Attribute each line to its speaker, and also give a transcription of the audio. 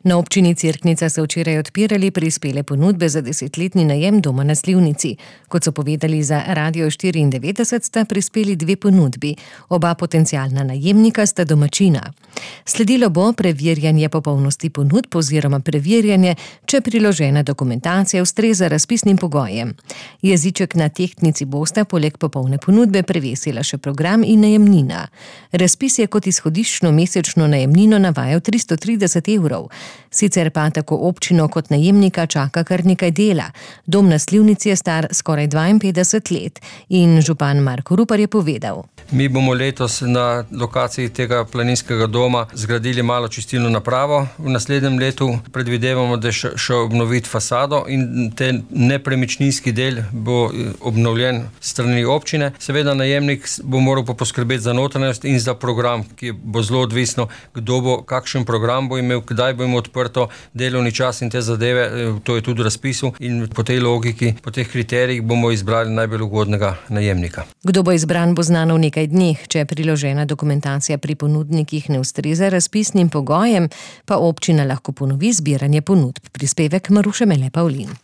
Speaker 1: Na občini Cerknica so včeraj odpirali prispele ponudbe za 10-letni najem doma na Slivnici. Kot so povedali za Radio 94, sta prispeli 2 ponudbi. Oba potencialna najemnika sta domačina. Sledilo bo preverjanje popolnosti ponudb oziroma preverjanje, če priložena dokumentacija ustreza razpisnim pogojem. Jeziček na tehtnici bosta poleg popolne ponudbe prevesila še program in najemnina. Razpis je kot izhodiščno mesečno najemnino navajal 330 evrov. Sicer pa tako občino kot najemnika čaka kar nekaj dela. Dom na Slivnici je star skoraj 52 let in župan Marko Rupar je povedal:
Speaker 2: Mi bomo letos na lokaciji tega planinskega doma zgradili malo čistilno napravo. V naslednjem letu predvidevamo, da še obnoviti fasado in te nepremičninski del bo obnovljen strani občine. Seveda najemnik bo moral pa poskrbeti za notranjost in za program, ki bo zelo odvisno, kdo bo, kakšen program bo imel, kdaj bo imel odprto delovni čas in te zadeve, to je tudi v razpisu in po tej logiki, po teh kriterijih bomo izbrali najbolj ugodnega najemnika.
Speaker 1: Kdo bo izbran, bo znano v nekaj dneh. Če priložena dokumentacija pri ponudnikih ne ustreza razpisnim pogojem, pa občina lahko ponovi zbiranje ponudb. Prispevek Maruše Mele Pavlin.